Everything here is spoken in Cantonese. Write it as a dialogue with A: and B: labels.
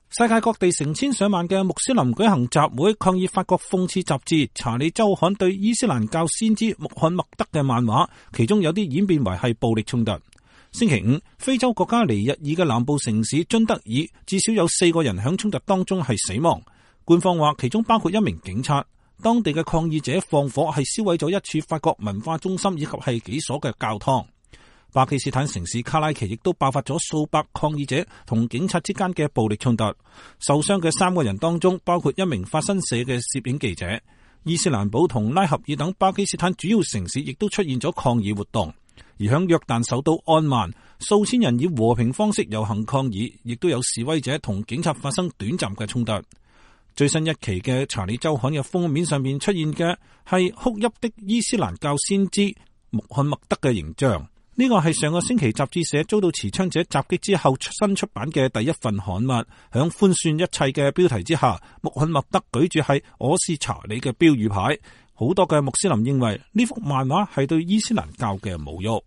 A: 世界各地成千上萬嘅穆斯林舉行集會，抗議法國諷刺雜誌《查理周刊》對伊斯蘭教先知穆罕默德嘅漫畫，其中有啲演變為係暴力衝突。星期五，非洲國家尼日爾嘅南部城市津德爾至少有4個人響衝突當中係死亡，官方話其中包括1名警察。當地嘅抗議者放火係燒毀咗一處法國文化中心以及係幾所嘅教堂。巴基斯坦城市卡拉奇亦都爆發咗數百抗議者同警察之間嘅暴力衝突，受傷嘅3個人當中包括1名法新社嘅攝影記者。伊斯蘭堡同拉合爾等巴基斯坦主要城市亦都出現咗抗議活動，而響約旦首都安曼，數千人以和平方式遊行抗議，亦都有示威者同警察發生短暫嘅衝突。最新一期嘅《查理周刊》嘅封面上面出現嘅係哭泣的伊斯蘭教先知穆罕默德嘅形象。呢個係上個星期雜誌社遭到持槍者襲擊之後新出版嘅第一份刊物。響寬恕一切嘅標題之下，穆罕默德舉住係我是查理嘅標語牌。好多嘅穆斯林認為呢幅漫畫係對伊斯蘭教嘅侮辱。